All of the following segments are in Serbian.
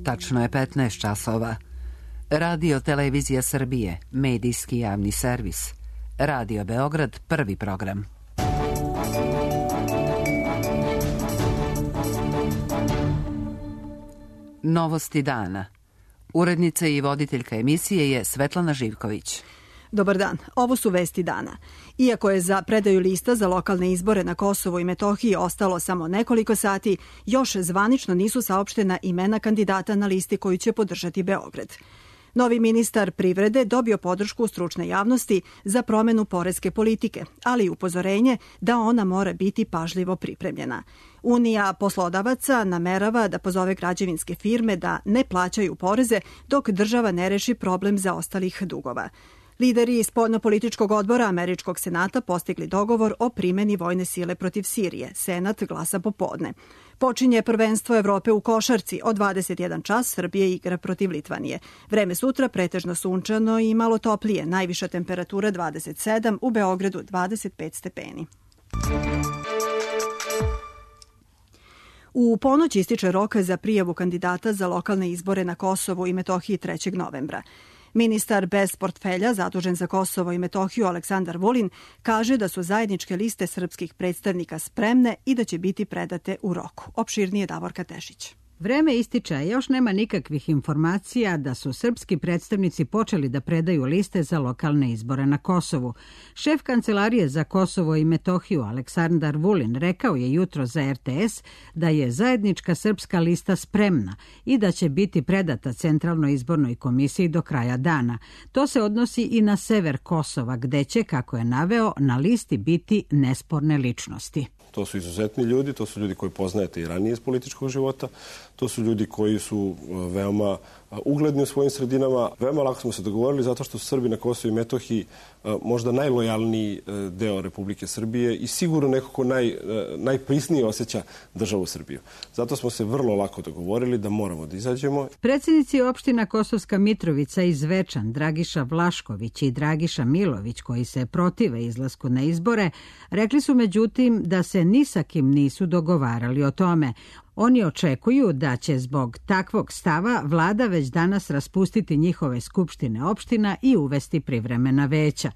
Tačno je 15 časova. Radio Televizija Srbije, medijski javni servis. Radio Beograd, prvi program. Novosti dana. Urednica i voditeljka emisije je Svetlana Živković. Dobar dan, ovo su vesti dana. Iako je za predaju lista za lokalne izbore na Kosovu i Metohiji ostalo samo nekoliko sati, još zvanično nisu saopštena imena kandidata na listi koju će podržati Beograd. Novi ministar privrede dobio podršku stručne javnosti za promenu poreske politike, ali i upozorenje da ona mora biti pažljivo pripremljena. Unija poslodavaca namerava da pozove građevinske firme da ne plaćaju poreze dok država ne reši problem zaostalih dugova. Lideri spoljnopolitičkog odbora Američkog senata postigli dogovor o primjeni vojne sile protiv Sirije. Senat glasa popodne. Počinje prvenstvo Evrope u košarci. Od 21 čas Srbije igra protiv Litvanije. Vreme sutra pretežno sunčano i malo toplije. Najviša temperatura 27, u Beogradu 25 stepeni. U ponoć ističe rok za prijavu kandidata za lokalne izbore na Kosovu i Metohiji 3. novembra. Ministar bez portfelja zadužen za Kosovo i Metohiju Aleksandar Vulin kaže da su zajedničke liste srpskih predstavnika spremne i da će biti predate u roku. Opširnije Davorka Tešić. Vreme ističe, a još nema nikakvih informacija da su srpski predstavnici počeli da predaju liste za lokalne izbore na Kosovu. Šef Kancelarije za Kosovo i Metohiju Aleksandar Vulin rekao je jutro za RTS da je zajednička srpska lista spremna i da će biti predata Centralnoj izbornoj komisiji do kraja dana. To se odnosi i na sever Kosova, gde će, kako je naveo, na listi biti nesporne ličnosti. To su izuzetni ljudi, to su ljudi koji poznajete i ranije iz političkog života, to su ljudi koji su veoma ugledni u svojim sredinama. Veoma lako smo se dogovorili zato što su Srbi na Kosovu i Metohiji možda najlojalniji deo Republike Srbije i sigurno neko ko najprisnije osjeća državu Srbiju. Zato smo se vrlo lako dogovorili da moramo da izađemo. Predsjednici opština Kosovska Mitrovica i Zvečan, Dragiša Vlašković i Dragiša Milović, koji se protive izlasku na izbore, rekli su međutim da se ni sa kim nisu dogovarali o tome. Oni očekuju da će zbog takvog stava vlada već danas raspustiti njihove skupštine opština i uvesti privremena veća.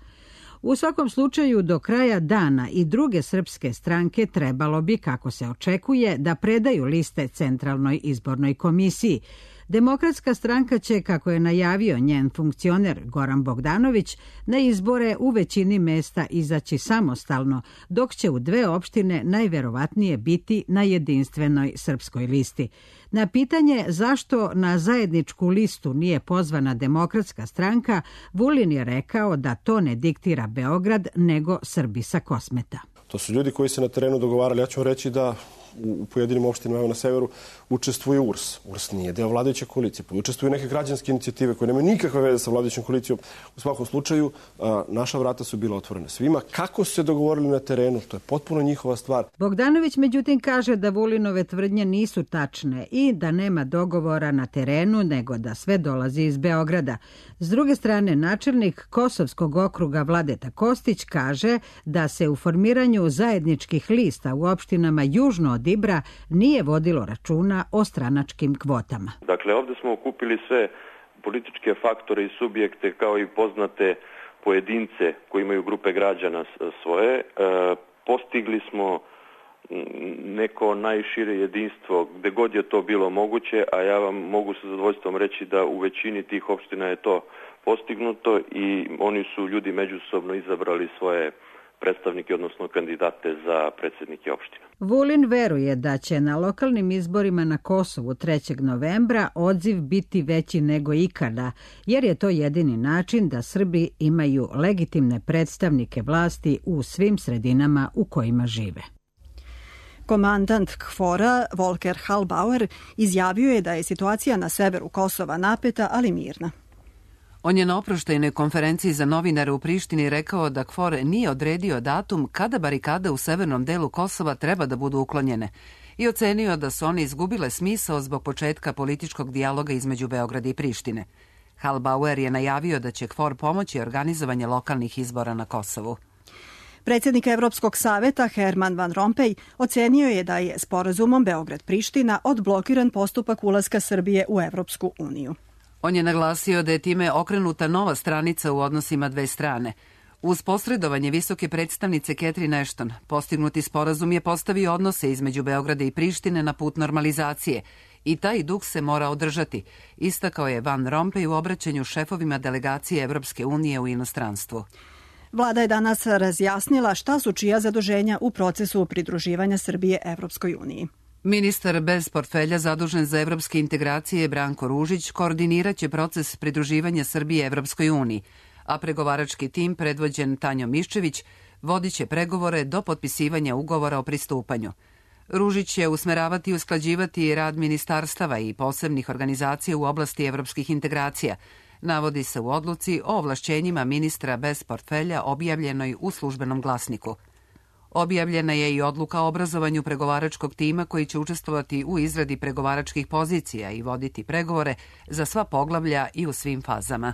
U svakom slučaju, do kraja dana i druge srpske stranke trebalo bi, kako se očekuje, da predaju liste Centralnoj izbornoj komisiji. Demokratska stranka će, kako je najavio njen funkcioner Goran Bogdanović, na izbore u većini mesta izaći samostalno, dok će u dve opštine najverovatnije biti na jedinstvenoj srpskoj listi. Na pitanje zašto na zajedničku listu nije pozvana Demokratska stranka, Vulin je rekao da to ne diktira Beograd, nego Srbi sa Kosmeta. To su ljudi koji se na terenu dogovarali. Ja ću vam reći da u pojedinim opštinama na severu učestvuje URS. URS nije deo vladajuće koalicije. Učestvuju neke građanske inicijative koje nemaju nikakve veze sa vladajućom koalicijom. U svakom slučaju, naša vrata su bila otvorena svima. Kako su se dogovorili na terenu, to je potpuno njihova stvar. Bogdanović međutim kaže da Vulinove tvrdnje nisu tačne i da nema dogovora na terenu, nego da sve dolazi iz Beograda. S druge strane, načelnik Kosovskog okruga Vladeta Kostić kaže da se u formiranju zajedničkih lista u opštinama južno od Ibra nije vodilo računa o stranačkim kvotama. Dakle, ovdje smo okupili sve političke faktore i subjekte kao i poznate pojedince koji imaju grupe građana svoje. Postigli smo neko najšire jedinstvo gde god je to bilo moguće, a ja vam mogu sa zadovoljstvom reći da u većini tih opština je to postignuto i oni su ljudi međusobno izabrali svoje predstavnike, odnosno kandidate za predsjednike opština. Vulin veruje da će na lokalnim izborima na Kosovu 3. novembra odziv biti veći nego ikada, jer je to jedini način da Srbi imaju legitimne predstavnike vlasti u svim sredinama u kojima žive. Komandant KFOR-a Volker Halbauer izjavio je da je situacija na severu Kosova napeta, ali mirna. On je na oproštajnoj konferenciji za novinare u Prištini rekao da KFOR nije odredio datum kada barikade u severnom delu Kosova treba da budu uklonjene i ocenio da su one izgubile smisao zbog početka političkog dijaloga između Beograda i Prištine. Halbauer je najavio da će KFOR pomoći organizovanje lokalnih izbora na Kosovu. Predsjednik Evropskog saveta Herman Van Rompuy ocenio je da je sporazumom Beograd-Priština odblokiran postupak ulaska Srbije u Evropsku uniju. On je naglasio da je time okrenuta nova stranica u odnosima dve strane. Uz posredovanje visoke predstavnice Catherine Ashton, postignuti sporazum je postavio odnose između Beograda i Prištine na put normalizacije i taj duh se mora održati, istakao je Van Rompuy u obraćanju šefovima delegacije Evropske unije u inostranstvu. Vlada je danas razjasnila šta su čija zaduženja u procesu pridruživanja Srbije Evropskoj uniji. Ministar bez portfelja zadužen za evropske integracije Branko Ružić koordiniraće proces pridruživanja Srbije Evropskoj uniji, a pregovarački tim predvođen Tanjom Miščević vodit će pregovore do potpisivanja ugovora o pristupanju. Ružić će usmeravati i usklađivati rad ministarstava i posebnih organizacija u oblasti evropskih integracija, navodi se u odluci o ovlašćenjima ministra bez portfelja objavljenoj u Službenom glasniku. Objavljena je i odluka o obrazovanju pregovaračkog tima koji će učestvovati u izradi pregovaračkih pozicija i voditi pregovore za sva poglavlja i u svim fazama.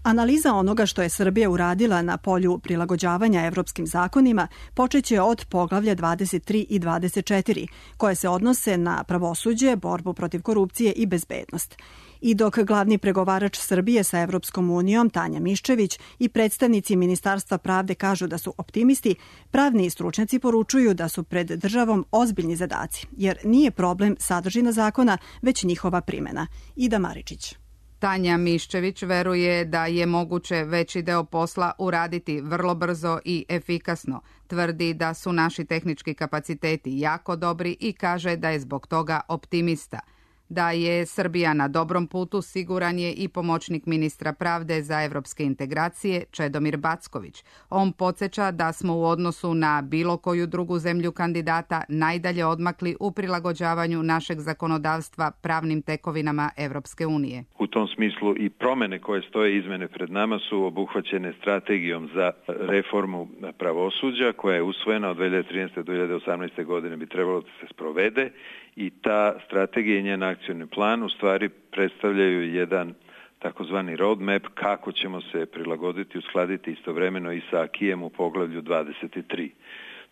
Analiza onoga što je Srbija uradila na polju prilagođavanja evropskim zakonima počeće od poglavlja 23 i 24, koje se odnose na pravosuđe, borbu protiv korupcije i bezbednost. I dok glavni pregovarač Srbije sa Evropskom unijom, Tanja Miščević, i predstavnici Ministarstva pravde kažu da su optimisti, pravni stručnjaci poručuju da su pred državom ozbiljni zadaci, jer nije problem sadržina zakona, već njihova primjena. Ida Maričić. Tanja Miščević veruje da je moguće veći deo posla uraditi vrlo brzo i efikasno. Tvrdi da su naši tehnički kapaciteti jako dobri i kaže da je zbog toga optimista. Da je Srbija na dobrom putu siguran je i pomoćnik ministra pravde za evropske integracije Čedomir Backović. On podsjeća da smo u odnosu na bilo koju drugu zemlju kandidata najdalje odmakli u prilagođavanju našeg zakonodavstva pravnim tekovinama Evropske unije. U tom smislu i promene koje stoje izmene pred nama su obuhvaćene strategijom za reformu pravosuđa koja je usvojena od 2013. do 2018. godine bi trebalo da se sprovede i ta strategija i njen akcioni plan u stvari predstavljaju jedan takozvani roadmap kako ćemo se prilagoditi, uskladiti istovremeno i sa akijem u poglavlju 23.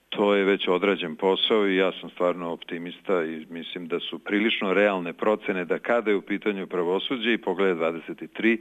To je već odrađen posao i ja sam stvarno optimista i mislim da su prilično realne procene da kada je u pitanju pravosuđe i poglavlje 23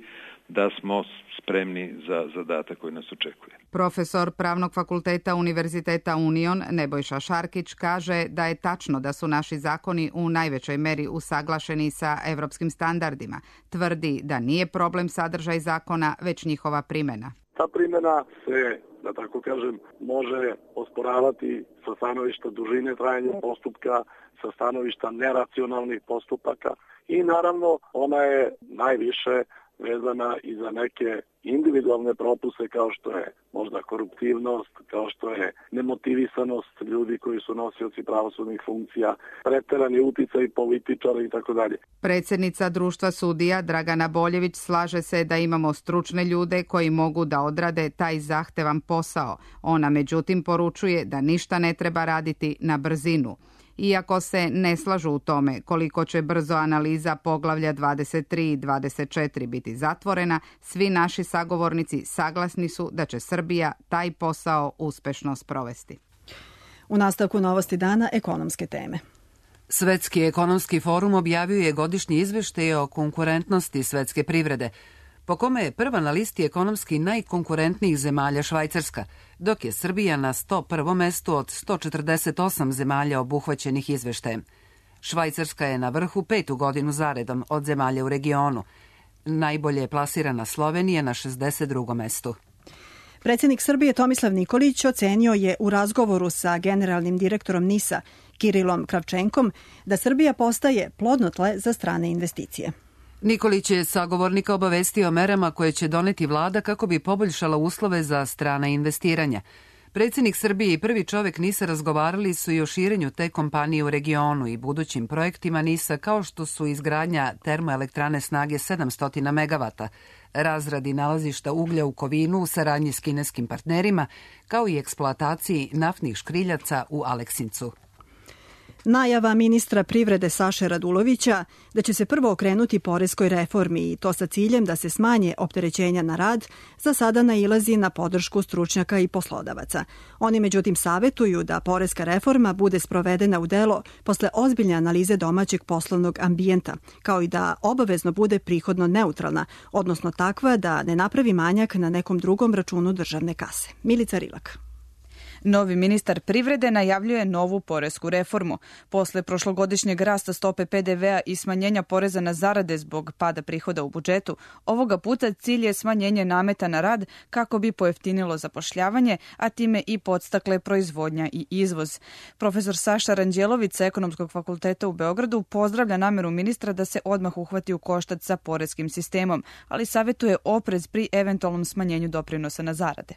da smo spremni za zadatak koji nas očekuje. Profesor Pravnog fakulteta Univerziteta Union Nebojša Šarkić kaže da je tačno da su naši zakoni u najvećoj meri usaglašeni sa evropskim standardima. Tvrdi da nije problem sadržaj zakona, već njihova primjena. Ta primjena se, da tako kažem, može osporavati sa stanovišta dužine trajanja postupka, sa stanovišta neracionalnih postupaka i naravno ona je najviše vezana i za neke individualne propuse kao što je možda koruptivnost, kao što je nemotivisanost ljudi koji su nosioci pravosudnih funkcija, preterani uticaj političara i tako dalje. Predsjednica Društva sudija Dragana Boljević slaže se da imamo stručne ljude koji mogu da odrade taj zahtevan posao. Ona međutim poručuje da ništa ne treba raditi na brzinu. Iako se ne slažu u tome koliko će brzo analiza poglavlja 23 i 24 biti zatvorena, svi naši sagovornici saglasni su da će Srbija taj posao uspešno sprovesti. U nastavku Novosti dana ekonomske teme. Svetski ekonomski forum objavio je godišnji izveštaj o konkurentnosti svetske privrede, po kome je prva na listi ekonomski najkonkurentnijih zemalja Švajcarska, dok je Srbija na 101. mestu od 148 zemalja obuhvaćenih izveštajem. Švajcarska je na vrhu 5. godinu zaredom od zemalja u regionu. Najbolje je plasirana Slovenija na 62. mestu. Predsjednik Srbije Tomislav Nikolić ocenio je u razgovoru sa generalnim direktorom NIS-a Kirilom Kravčenkom da Srbija postaje plodno tle za strane investicije. Nikolić je sagovornika obavestio o merama koje će doneti vlada kako bi poboljšala uslove za strana investiranja. Predsjednik Srbije i prvi čovjek NIS-a razgovarali su i o širenju te kompanije u regionu i budućim projektima NIS-a kao što su izgradnja termoelektrane snage 700 MW, razradi nalazišta uglja u Kovinu u saradnji s kineskim partnerima, kao i eksploataciji naftnih škriljaca u Aleksincu. Najava ministra privrede Saše Radulovića da će se prvo okrenuti poreskoj reformi i to sa ciljem da se smanje opterećenja na rad, za sada nailazi na podršku stručnjaka i poslodavaca. Oni međutim savetuju da poreska reforma bude sprovedena u delo posle ozbiljne analize domaćeg poslovnog ambijenta, kao i da obavezno bude prihodno neutralna, odnosno takva da ne napravi manjak na nekom drugom računu državne kase. Milica Rilak. Novi ministar privrede najavljuje novu poresku reformu. Posle prošlogodišnjeg rasta stope PDV-a i smanjenja poreza na zarade zbog pada prihoda u budžetu, ovoga puta cilj je smanjenje nameta na rad kako bi pojeftinilo zapošljavanje, a time i podstakle proizvodnja i izvoz. Profesor Saša Ranđelović sa Ekonomskog fakulteta u Beogradu pozdravlja nameru ministra da se odmah uhvati u koštac sa poreskim sistemom, ali savetuje oprez pri eventualnom smanjenju doprinosa na zarade.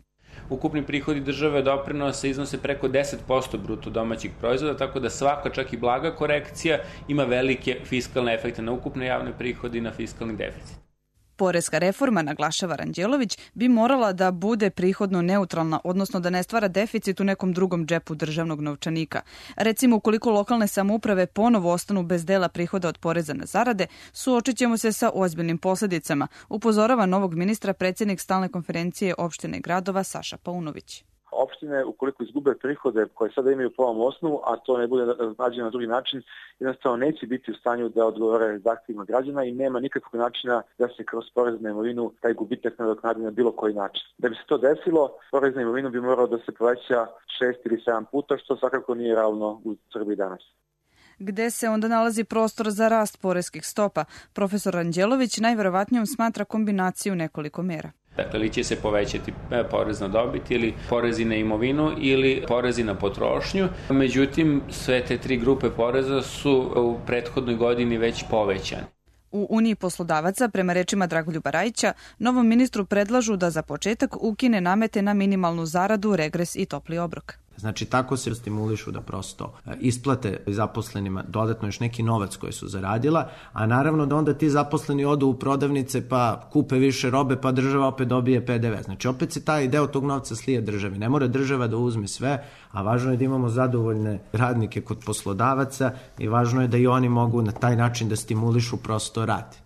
Ukupni prihodi države doprinosa iznose preko 10% bruto domaćeg proizvoda, tako da svaka, čak i blaga korekcija, ima velike fiskalne efekte na ukupne javne prihode i na fiskalni deficit. Poreska reforma, naglašava Ranđelović, bi morala da bude prihodno neutralna, odnosno da ne stvara deficit u nekom drugom džepu državnog novčanika. Recimo, ukoliko lokalne samouprave ponovo ostanu bez dela prihoda od poreza na zarade, suočit ćemo se sa ozbiljnim posledicama, upozorava novog ministra predsjednik Stalne konferencije opštine i gradova Saša Paunović. Opštine, ukoliko izgube prihode koje sada imaju po ovom osnovu, a to ne bude nađeno na drugi način, jednostavno neće biti u stanju da odgovore zahtjevima građana i nema nikakvog načina da se kroz porez na imovinu taj gubitak nadoknadi na bilo koji način. Da bi se to desilo, porez na imovinu bi morao da se poveća 6 ili 7 puta, što svakako nije realno u Srbiji danas. Gde se onda nalazi prostor za rast poreskih stopa? Profesor Ranđelović najverovatnijom smatra kombinaciju nekoliko mera. Dakle, ili će se povećati porez na dobit ili porezi na imovinu ili porezi na potrošnju. Međutim, sve te tri grupe poreza su u prethodnoj godini već povećane. U Uniji poslodavaca, prema rečima Dragoljuba Rajića, novom ministru predlažu da za početak ukine namete na minimalnu zaradu, regres i topli obrok. Znači, tako se stimulišu da prosto isplate zaposlenima dodatno još neki novac koji su zaradila, a naravno da onda ti zaposleni odu u prodavnice pa kupe više robe pa država opet dobije PDV. Znači, opet se taj deo tog novca slije državi. Ne mora država da uzme sve, a važno je da imamo zadovoljne radnike kod poslodavaca i važno je da i oni mogu na taj način da stimulišu prosto rad.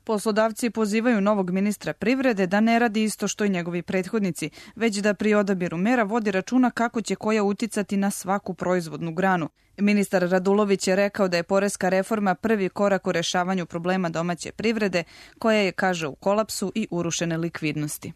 Poslodavci pozivaju novog ministra privrede da ne radi isto što i njegovi prethodnici, već da pri odabiru mera vodi računa kako će koja uticati na svaku proizvodnu granu. Ministar Radulović je rekao da je poreska reforma prvi korak u rešavanju problema domaće privrede, koja je, kaže, u kolapsu i urušene likvidnosti.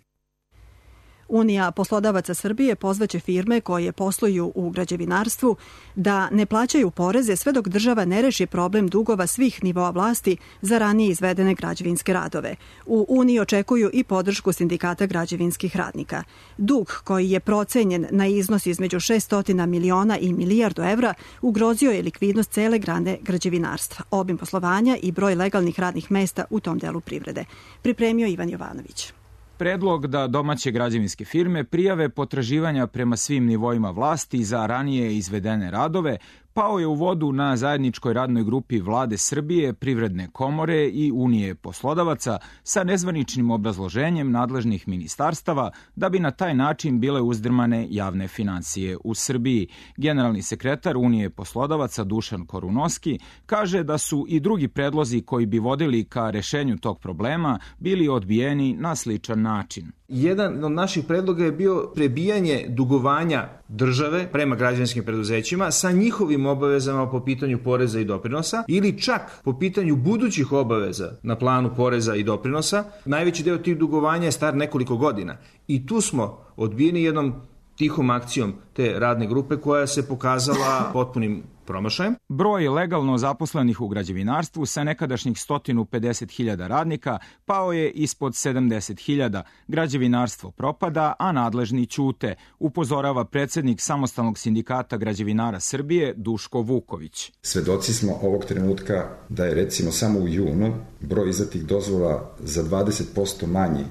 Unija poslodavaca Srbije pozvaće firme koje posluju u građevinarstvu da ne plaćaju poreze sve dok država ne reši problem dugova svih nivoa vlasti za ranije izvedene građevinske radove. U Uniji očekuju i podršku sindikata građevinskih radnika. Dug, koji je procenjen na iznos između 600 miliona i milijardu evra, ugrozio je likvidnost cele grane građevinarstva, obim poslovanja i broj legalnih radnih mesta u tom delu privrede. Pripremio Ivan Jovanović. Predlog da domaće građevinske firme prijave potraživanja prema svim nivoima vlasti za ranije izvedene radove pao je u vodu na zajedničkoj radnoj grupi Vlade Srbije, Privredne komore i Unije poslodavaca sa nezvaničnim obrazloženjem nadležnih ministarstava da bi na taj način bile uzdrmane javne finansije u Srbiji. Generalni sekretar Unije poslodavaca Dušan Korunoski kaže da su i drugi predlozi koji bi vodili ka rešenju tog problema bili odbijeni na sličan način. Jedan od naših predloga je bio prebijanje dugovanja države prema građevinskim preduzećima sa njihovim obavezama po pitanju poreza i doprinosa ili čak po pitanju budućih obaveza na planu poreza i doprinosa. Najveći deo tih dugovanja je star nekoliko godina i tu smo odbijeni jednom tihom akcijom te radne grupe koja se pokazala potpunim promašajem. Broj legalno zaposlenih u građevinarstvu sa nekadašnjih 150.000 radnika pao je ispod 70.000. Građevinarstvo propada, a nadležni ćute, upozorava predsjednik Samostalnog sindikata građevinara Srbije Duško Vuković. Svedoci smo ovog trenutka da je recimo samo u junu broj izdatih dozvola za 20% manji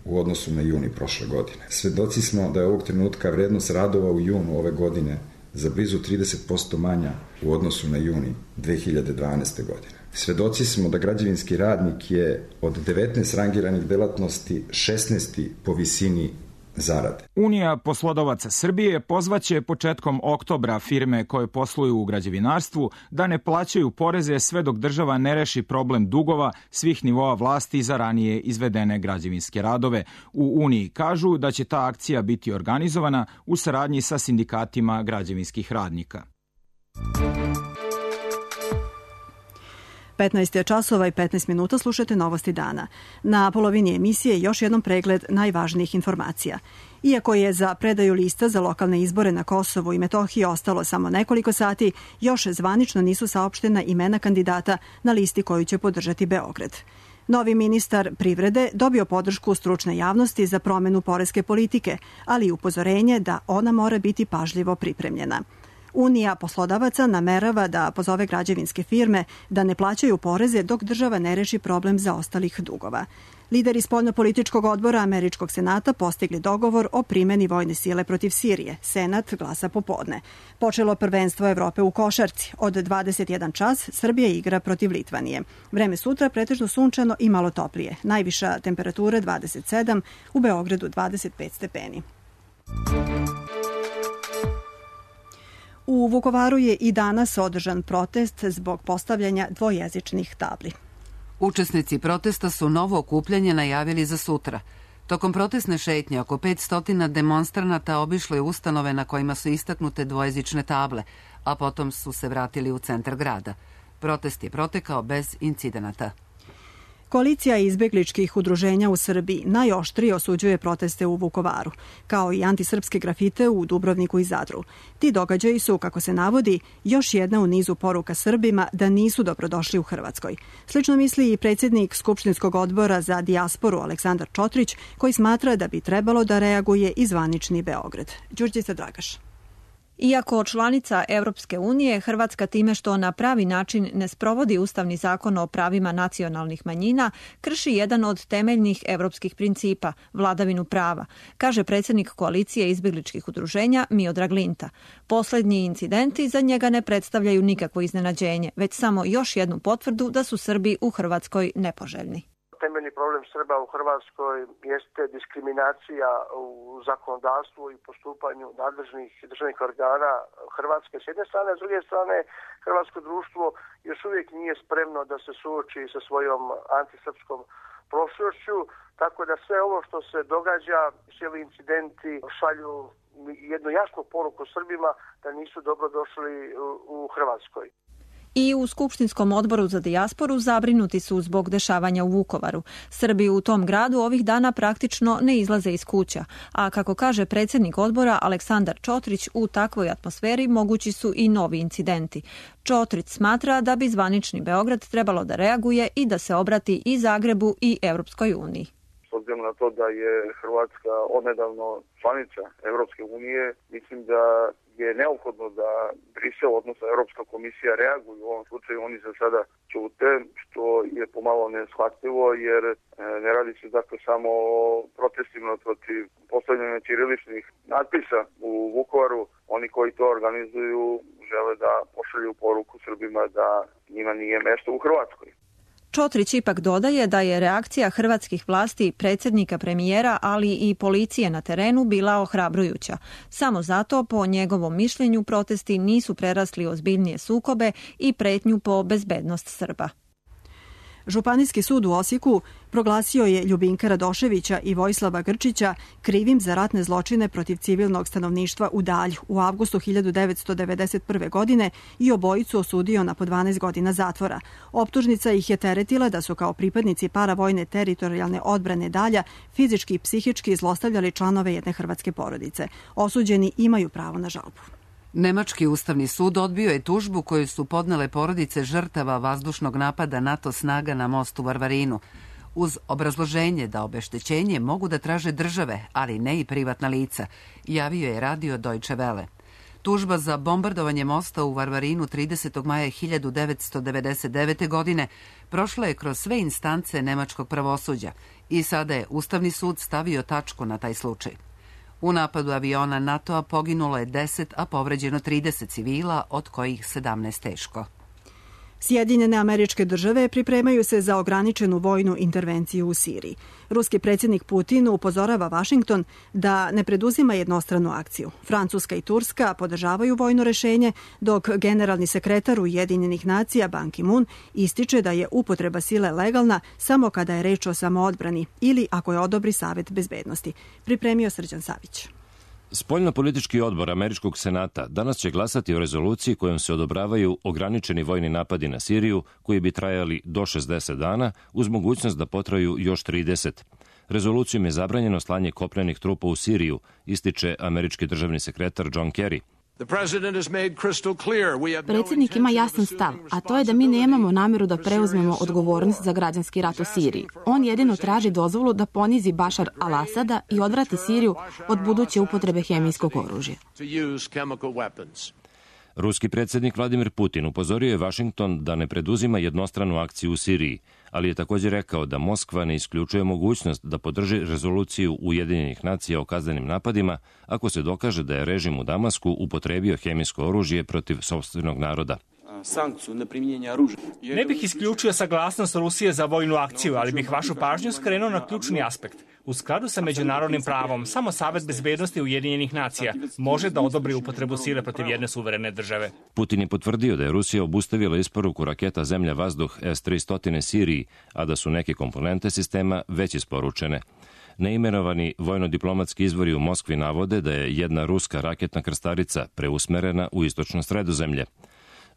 u odnosu na juni prošle godine. Svedoci smo da je ovog trenutka vrednost radova u junu ove godine za blizu 30% manja u odnosu na juni 2012. godine. Svedoci smo da građevinski radnik je od 19 rangiranih delatnosti 16. po visini zarade. Unija poslodavaca Srbije pozvaće početkom oktobra firme koje posluju u građevinarstvu da ne plaćaju poreze sve dok država ne reši problem dugova svih nivoa vlasti za ranije izvedene građevinske radove. U Uniji kažu da će ta akcija biti organizovana u saradnji sa sindikatima građevinskih radnika. 15 je časova i 15 minuta, slušate Novosti dana. Na polovini emisije još jednom pregled najvažnijih informacija. Iako je za predaju lista za lokalne izbore na Kosovu i Metohiji ostalo samo nekoliko sati, još zvanično nisu saopštena imena kandidata na listi koju će podržati Beograd. Novi ministar privrede dobio podršku stručne javnosti za promenu poreske politike, ali i upozorenje da ona mora biti pažljivo pripremljena. Unija poslodavaca namerava da pozove građevinske firme da ne plaćaju poreze dok država ne reši problem zaostalih dugova. Lideri spoljnopolitičkog odbora Američkog senata postigli dogovor o primeni vojne sile protiv Sirije. Senat glasa popodne. Počelo prvenstvo Evrope u košarci. Od 21 čas Srbija igra protiv Litvanije. Vreme sutra pretežno sunčano i malo toplije. Najviša temperatura 27, u Beogradu 25 stepeni. U Vukovaru je i danas održan protest zbog postavljanja dvojezičnih tabli. Učesnici protesta su novo okupljanje najavili za sutra. Tokom protestne šetnje oko 500 demonstranata obišlo je ustanove na kojima su istaknute dvojezične table, a potom su se vratili u centar grada. Protest je protekao bez incidenata. Koalicija izbegličkih udruženja u Srbiji najoštrije osuđuje proteste u Vukovaru, kao i antisrpske grafite u Dubrovniku i Zadru. Ti događaji su, kako se navodi, još jedna u nizu poruka Srbima da nisu dobrodošli u Hrvatskoj. Slično misli i predsjednik Skupštinskog odbora za dijasporu Aleksandar Čotrić, koji smatra da bi trebalo da reaguje i zvanični Beograd. Đurđica Dragaš. Iako članica Europske unije, Hrvatska time što na pravi način ne sprovodi Ustavni zakon o pravima nacionalnih manjina, krši jedan od temeljnih europskih principa, vladavinu prava, kaže predsjednik koalicije izbjegličkih udruženja Miodrag Linta. Posljednji incidenti za njega ne predstavljaju nikakvo iznenađenje, već samo još jednu potvrdu da su Srbi u Hrvatskoj nepoželjni. Temeljni problem Srba u Hrvatskoj jeste diskriminacija u zakonodavstvu i postupanju nadležnih državnih organa Hrvatske s jedne strane, a s druge strane hrvatsko društvo još uvijek nije spremno da se suoči sa svojom antisrpskom prošlošću, tako da sve ovo što se događa, svi ovi incidenti šalju jednu jasnu poruku Srbima da nisu dobrodošli u Hrvatskoj. I u Skupštinskom odboru za dijasporu zabrinuti su zbog dešavanja u Vukovaru. Srbi u tom gradu ovih dana praktično ne izlaze iz kuća, a kako kaže predsjednik odbora Aleksandar Čotrić, u takvoj atmosferi mogući su i novi incidenti. Čotrić smatra da bi zvanični Beograd trebalo da reaguje i da se obrati i Zagrebu i Europskoj uniji. S obzirom na to da je Hrvatska odnedavno članica Europske unije, mislim da je neophodno da Brisel, odnosno Europska komisija, reaguju. U ovom slučaju oni za sada ćute, što je pomalo neshvatljivo, jer ne radi se dakle samo o protestima protiv postavljanja ćiriličnih natpisa u Vukovaru. Oni koji to organizuju žele da pošalju poruku Srbima da njima nije mesto u Hrvatskoj. Čotrić ipak dodaje da je reakcija hrvatskih vlasti, predsjednika, premijera, ali i policije na terenu bila ohrabrujuća. Samo zato, po njegovom mišljenju, protesti nisu prerasli ozbiljnije sukobe i pretnju po bezbednost Srba. Županijski sud u Osijeku proglasio je Ljubinka Radoševića i Vojislava Grčića krivim za ratne zločine protiv civilnog stanovništva u Dalju u avgustu 1991. godine i obojicu osudio na po 12 godina zatvora. Optužnica ih je teretila da su kao pripadnici paravojne teritorijalne odbrane Dalja fizički i psihički zlostavljali članove jedne hrvatske porodice. Osuđeni imaju pravo na žalbu. Nemački ustavni sud odbio je tužbu koju su podnele porodice žrtava vazdušnog napada NATO snaga na mostu u Varvarinu, uz obrazloženje da obeštećenje mogu da traže države, ali ne i privatna lica, javio je radio Deutsche Welle. Tužba za bombardovanje mosta u Varvarinu 30. maja 1999. godine prošla je kroz sve instance nemačkog pravosuđa i sada je Ustavni sud stavio tačku na taj slučaj. U napadu aviona NATO-a poginulo je 10, a povređeno 30 civila, od kojih 17 teško. Sjedinjene Američke Države pripremaju se za ograničenu vojnu intervenciju u Siriji. Ruski predsjednik Putin upozorava Vašington da ne preduzima jednostranu akciju. Francuska i Turska podržavaju vojno rešenje, dok generalni sekretar Ujedinjenih nacija Ban Ki-moon ističe da je upotreba sile legalna samo kada je reč o samoodbrani ili ako je odobri Savet bezbednosti. Pripremio Srđan Savić. Spoljnopolitički odbor Američkog senata danas će glasati o rezoluciji kojom se odobravaju ograničeni vojni napadi na Siriju koji bi trajali do 60 dana uz mogućnost da potraju još 30. Rezolucijom je zabranjeno slanje kopnenih trupa u Siriju, ističe američki državni sekretar John Kerry. Predsjednik ima jasan stav, a to je da mi nemamo namjeru da preuzmemo odgovornost za građanski rat u Siriji. On jedino traži dozvolu da ponizi Bašar al-Asada i odvrati Siriju od buduće upotrebe hemijskog oružja. Ruski predsjednik Vladimir Putin upozorio je Vašington da ne preduzima jednostranu akciju u Siriji, ali je također rekao da Moskva ne isključuje mogućnost da podrži rezoluciju Ujedinjenih nacija o kaznenim napadima ako se dokaže da je režim u Damasku upotrebio hemijsko oružje protiv sopstvenog naroda. Ne bih isključio saglasnost Rusije za vojnu akciju, ali bih vašu pažnju skrenuo na ključni aspekt. U skladu sa međunarodnim pravom, samo Savet bezbednosti Ujedinjenih nacija može da odobri upotrebu sile protiv jedne suverene države. Putin je potvrdio da je Rusija obustavila isporuku raketa Zemlja-vazduh S-300 Siriji, a da su neke komponente sistema već isporučene. Neimenovani vojno-diplomatski izvori u Moskvi navode da je jedna ruska raketna krstarica preusmerena u istočno Sredozemlje.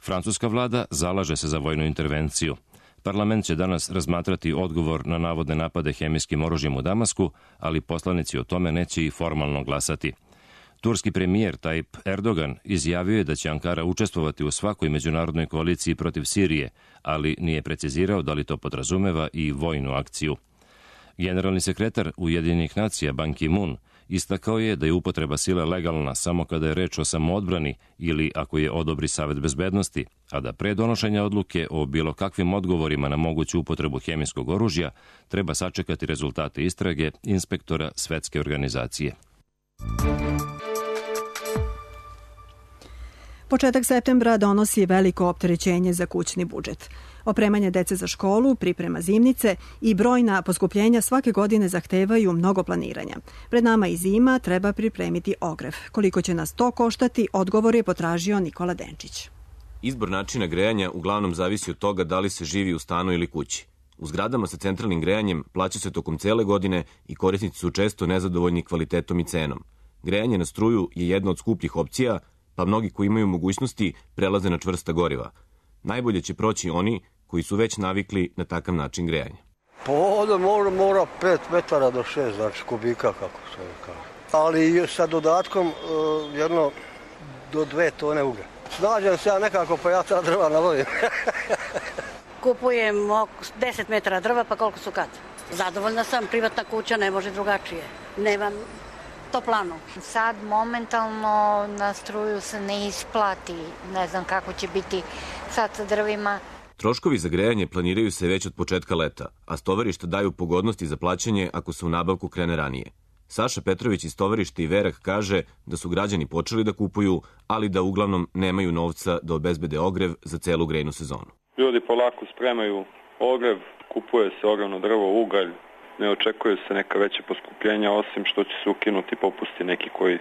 Francuska vlada zalaže se za vojnu intervenciju. Parlament će danas razmatrati odgovor na navodne napade hemijskim oružjem u Damasku, ali poslanici o tome neće i formalno glasati. Turski premijer Tayyip Erdogan izjavio je da će Ankara učestvovati u svakoj međunarodnoj koaliciji protiv Sirije, ali nije precizirao da li to podrazumeva i vojnu akciju. Generalni sekretar Ujedinjenih nacija Ban Ki-moon istakao je da je upotreba sile legalna samo kada je reč o samoodbrani ili ako je odobri Savet bezbednosti, a da pre donošenja odluke o bilo kakvim odgovorima na moguću upotrebu hemijskog oružja treba sačekati rezultate istrage inspektora Svetske organizacije. Početak septembra donosi veliko opterećenje za kućni budžet. Opremanje dece za školu, priprema zimnice i brojna poskupljenja svake godine zahtevaju mnogo planiranja. Pred nama i zima, treba pripremiti ogrev. Koliko će nas to koštati, odgovor je potražio Nikola Denčić. Izbor načina grejanja uglavnom zavisi od toga da li se živi u stanu ili kući. U zgradama sa centralnim grejanjem plaća se tokom cele godine i korisnici su često nezadovoljni kvalitetom i cenom. Grejanje na struju je jedna od skupljih opcija, pa mnogi koji imaju mogućnosti prelaze na čvrsta goriva. Najbolje će proći oni koji su već navikli na takav način grejanja. Pa ovdje mora 5 metara do 6, znači kubika, kako se kaže. Ali sa dodatkom jedno do 2 tone uglja. Snađem se ja nekako, pa ja ta drva nabavim. Kupujem 10 metara drva, pa koliko su kad? Zadovoljna sam, privatna kuća, ne može drugačije. Nemam toplanu. Sad momentalno na struju se ne isplati. Ne znam kako će biti sad sa drvima. Troškovi za grejanje planiraju se već od početka leta, a stovarišta daju pogodnosti za plaćanje ako se u nabavku krene ranije. Saša Petrović iz stovarišta Iverak kaže da su građani počeli da kupuju, ali da uglavnom nemaju novca da obezbede ogrev za celu grejnu sezonu. Ljudi polako spremaju ogrev, kupuje se ogrevno drvo, ugalj, ne očekuju se neka veća poskupljenja, osim što će se ukinuti popusti neki koji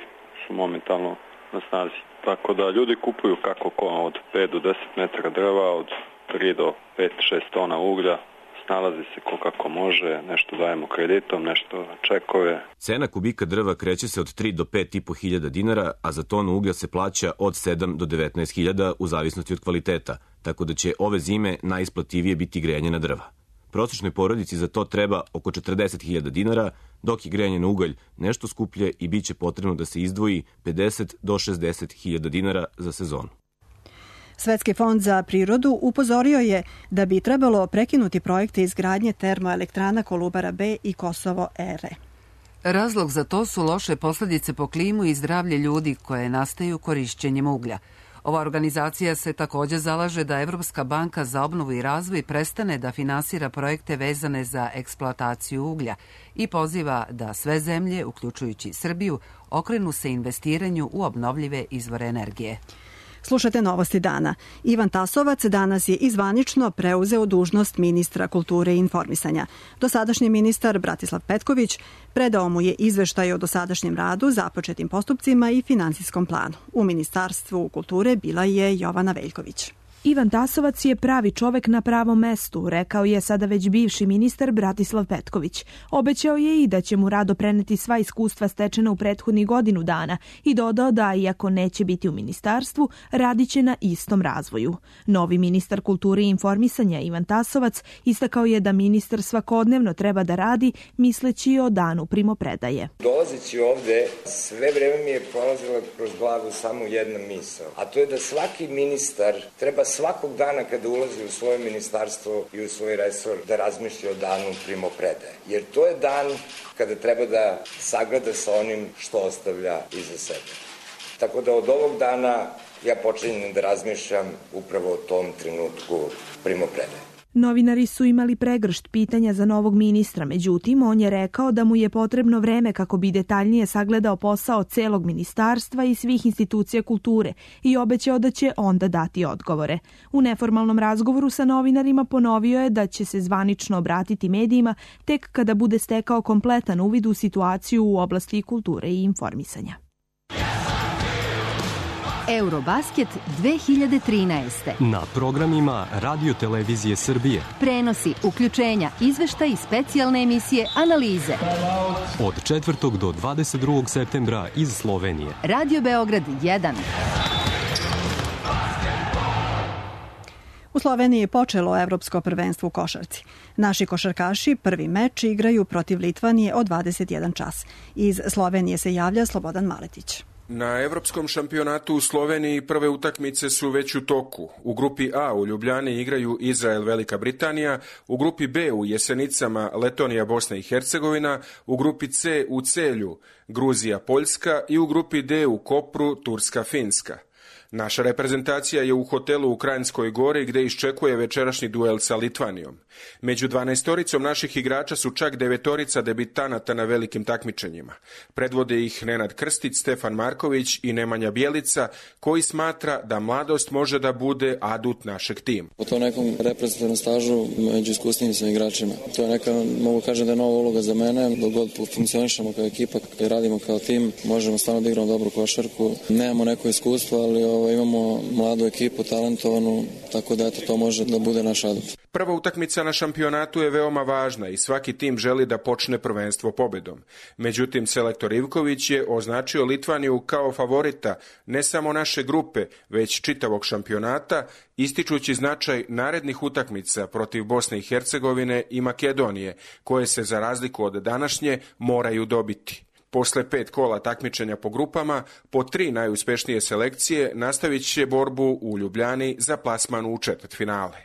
su momentalno na snazi. Tako da ljudi kupuju kako ko, od 5 do 10 metara drva, od 3 do 5-6 tona uglja, snalazi se ko kako može, nešto dajemo kreditom, nešto na čekove. Cena kubika drva kreće se od 3 do 5,5 hiljada dinara, a za tonu uglja se plaća od 7 do 19 hiljada u zavisnosti od kvaliteta, tako da će ove zime najisplativije biti grejanje na drva. Prosječnoj porodici za to treba oko 40.000 dinara, dok je grejanje na ugalj nešto skuplje i bit će potrebno da se izdvoji 50 do 60.000 dinara za sezonu. Svetski fond za prirodu upozorio je da bi trebalo prekinuti projekte izgradnje termoelektrana Kolubara B i Kosovo R. Razlog za to su loše posljedice po klimu i zdravlje ljudi koje nastaju korišćenjem uglja. Ova organizacija se također zalaže da Evropska banka za obnovu i razvoj prestane da finansira projekte vezane za eksploataciju uglja i poziva da sve zemlje, uključujući Srbiju, okrenu se investiranju u obnovljive izvore energije. Slušate Novosti dana. Ivan Tasovac danas je izvanično preuzeo dužnost ministra kulture i informisanja. Dosadašnji ministar Bratislav Petković predao mu je izveštaj o dosadašnjem radu, započetim postupcima i finansijskom planu. U Ministarstvu kulture bila je Jovana Veljković. Ivan Tasovac je pravi čovek na pravom mestu, rekao je sada već bivši ministar Bratislav Petković. Obećao je i da će mu rado preneti sva iskustva stečena u prethodnih godinu dana i dodao da, iako neće biti u ministarstvu, radit će na istom razvoju. Novi ministar kulture i informisanja Ivan Tasovac istakao je da ministar svakodnevno treba da radi misleći o danu primopredaje. Dolazeći ovde, sve vreme mi je prolazila kroz glavu samo jedna misao, a to je da svaki ministar treba svakog dana kada ulazi u svoje ministarstvo i u svoj resor da razmišlja o danu primopredaje. Jer to je dan kada treba da sagleda sa onim što ostavlja iza sebe. Tako da od ovog dana ja počinjem da razmišljam upravo o tom trenutku primopredaje. Novinari su imali pregršt pitanja za novog ministra, međutim, on je rekao da mu je potrebno vreme kako bi detaljnije sagledao posao celog ministarstva i svih institucija kulture i obećao da će onda dati odgovore. U neformalnom razgovoru sa novinarima ponovio je da će se zvanično obratiti medijima tek kada bude stekao kompletan uvid u situaciju u oblasti kulture i informisanja. Eurobasket 2013. Na programima Radio Televizije Srbije. Prenosi, uključenja, izveštaj i specijalne emisije, analize. Od 4. do 22. septembra iz Slovenije. Radio Beograd 1. U Sloveniji je počelo evropsko prvenstvo u košarci. Naši košarkaši prvi meč igraju protiv Litvanije od 21 čas. Iz Slovenije se javlja Slobodan Maletić. Na evropskom šampionatu u Sloveniji prve utakmice su već u toku. U grupi A u Ljubljani igraju Izrael, Velika Britanija, u grupi B u Jesenicama Letonija, Bosna i Hercegovina, u grupi C u Celju Gruzija, Poljska i u grupi D u Kopru Turska, Finska. Naša reprezentacija je u hotelu u Kranjskoj Gori gde iščekuje večerašnji duel sa Litvanijom. Među 12-oricom naših igrača su čak 9-orica debitanata na velikim takmičenjima. Predvode ih Nenad Krstić, Stefan Marković i Nemanja Bjelica, koji smatra da mladost može da bude adut našeg tima. Po to nekom reprezentativnom stažu među iskusnim sam igračima. To je neka, mogu kažem da je nova uloga za mene, dok god funkcionišemo kao ekipa, kad radimo kao tim, možemo stvarno da igramo dobru košarku. Nemamo neko iskustvo, ali imamo mladu ekipu, talentovanu, tako da to može da bude naš adut. Prva utakmica na šampionatu je veoma važna i svaki tim želi da počne prvenstvo pobedom. Međutim, selektor Ivković je označio Litvaniju kao favorita ne samo naše grupe, već čitavog šampionata, ističući značaj narednih utakmica protiv Bosne i Hercegovine i Makedonije, koje se za razliku od današnje moraju dobiti. Posle 5 kola takmičenja po grupama, po 3 najuspešnije selekcije nastavit će borbu u Ljubljani za plasman u četvrtfinale.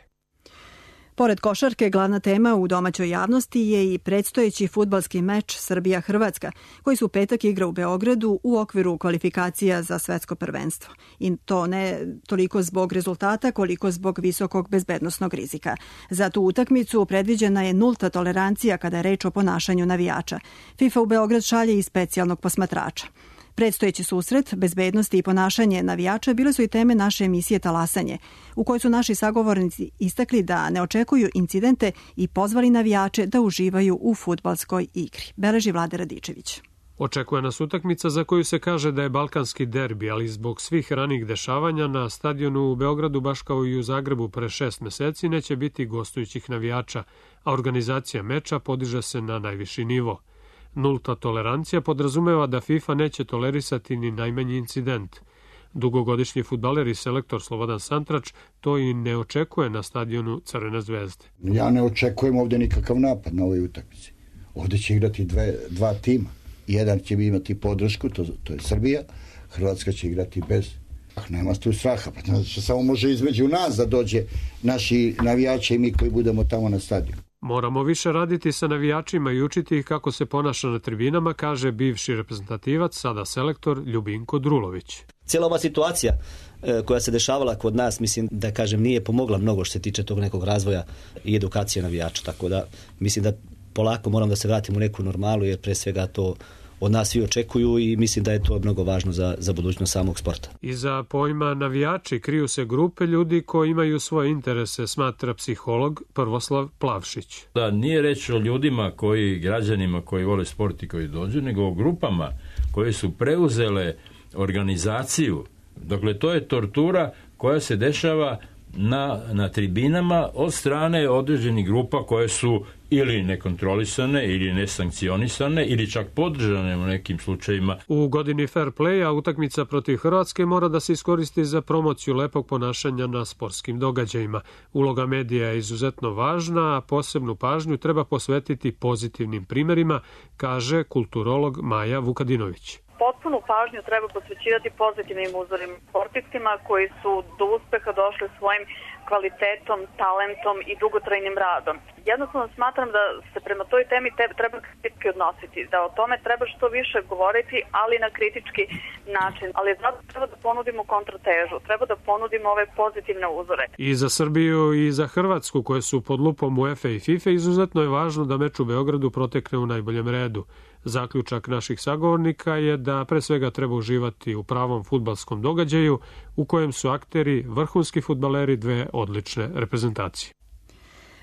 Pored košarke, glavna tema u domaćoj javnosti je i predstojeći fudbalski meč Srbija-Hrvatska, koji su u petak igra u Beogradu u okviru kvalifikacija za svetsko prvenstvo. I to ne toliko zbog rezultata, koliko zbog visokog bezbednosnog rizika. Za tu utakmicu predviđena je nulta tolerancija kada je reč o ponašanju navijača. FIFA u Beograd šalje i specijalnog posmatrača. Predstojeći susret, bezbednosti i ponašanje navijača bile su i teme naše emisije Talasanje, u kojoj su naši sagovornici istakli da ne očekuju incidente i pozvali navijače da uživaju u fudbalskoj igri. Beleži Vlade Radičević. Očekuje nas utakmica za koju se kaže da je balkanski derbi, ali zbog svih ranih dešavanja na stadionu u Beogradu, baš kao i u Zagrebu pre 6 meseci, neće biti gostujućih navijača, a organizacija meča podiže se na najviši nivo. Nulta tolerancija podrazumeva da FIFA neće tolerisati ni najmanji incident. Dugogodišnji fudbaler i selektor Slobodan Santrač to i ne očekuje na stadionu Crvene zvezde. Ja ne očekujem ovde nikakav napad na ovoj utakmici. Ovde će igrati dva tima. Jedan će imati podršku, to je Srbija. Hrvatska će igrati bez. Nema tu straha, pa znači samo može između nas da dođe naši navijači i mi koji budemo tamo na stadionu. Moramo više raditi sa navijačima i učiti ih kako se ponaša na tribinama, kaže bivši reprezentativac, sada selektor Ljubinko Drulović. Cijela ova situacija koja se dešavala kod nas, mislim da kažem nije pomogla mnogo što se tiče tog nekog razvoja i edukacije navijača, tako da mislim da polako moram da se vratim u neku normalu, jer pre svega to od nas svi očekuju i mislim da je to mnogo važno za budućnost samog sporta. Iza pojma navijači kriju se grupe ljudi koji imaju svoje interese, smatra psiholog Prvoslav Plavšić. Da nije reč o ljudima građanima koji vole sport i koji dođu, nego o grupama koje su preuzele organizaciju. Dakle, to je tortura koja se dešava na tribinama od strane određenih grupa koje su ili nekontrolisane ili nesankcionisane ili čak podržane u nekim slučajima. U godini fair playa utakmica protiv Hrvatske mora da se iskoristi za promociju lepog ponašanja na sportskim događajima. Uloga medija je izuzetno važna, a posebnu pažnju treba posvetiti pozitivnim primerima, kaže kulturolog Maja Vukadinović. Potpunu pažnju treba posvećivati pozitivnim uzorima sportistima koji su do uspeha došli svojim kvalitetom, talentom i dugotrajnim radom. Jednostavno smatram da se prema toj temi treba kritički odnositi, da o tome treba što više govoriti, ali na kritički način. Ali zato treba da ponudimo kontratežu, treba da ponudimo ove pozitivne uzore. I za Srbiju i za Hrvatsku, koje su pod lupom UEFA i FIFA, izuzetno je važno da meč u Beogradu protekne u najboljem redu. Zaključak naših sagovornika je da pre svega treba uživati u pravom fudbalskom događaju u kojem su akteri vrhunski fudbaleri dve odlične reprezentacije.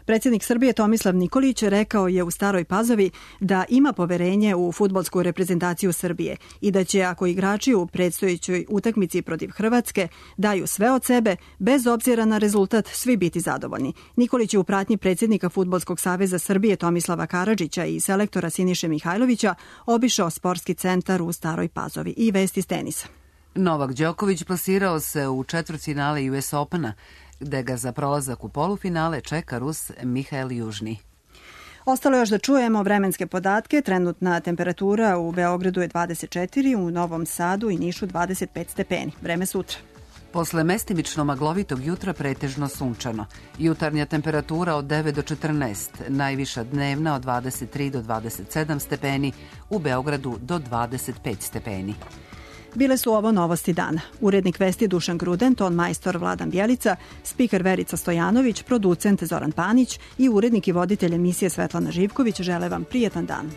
Predsjednik Srbije Tomislav Nikolić rekao je u Staroj Pazovi da ima poverenje u fudbalsku reprezentaciju Srbije i da će, ako igrači u predstojećoj utakmici protiv Hrvatske daju sve od sebe, bez obzira na rezultat, svi biti zadovoljni. Nikolić je u pratnji predsjednika Fudbalskog saveza Srbije Tomislava Karadžića i selektora Siniše Mihajlovića obišao sportski centar u Staroj Pazovi. I vesti iz tenisa. Novak Đoković plasirao se u četvrtfinale US Opena, gde ga za prolazak u polufinale čeka Rus Mihael Južni. Ostalo još da čujemo vremenske podatke. Trenutna temperatura u Beogradu je 24, u Novom Sadu i Nišu 25 stepeni. Vreme sutra. Posle mestimično maglovitog jutra pretežno sunčano. Jutarnja temperatura od 9 do 14, najviša dnevna od 23 do 27 stepeni, u Beogradu do 25 stepeni. Bile su ovo novosti dana. Urednik vesti Dušan Gruden, ton majstor Vladan Bjelica, spiker Verica Stojanović, producent Zoran Panić i urednik i voditelj emisije Svetlana Živković žele vam prijetan dan.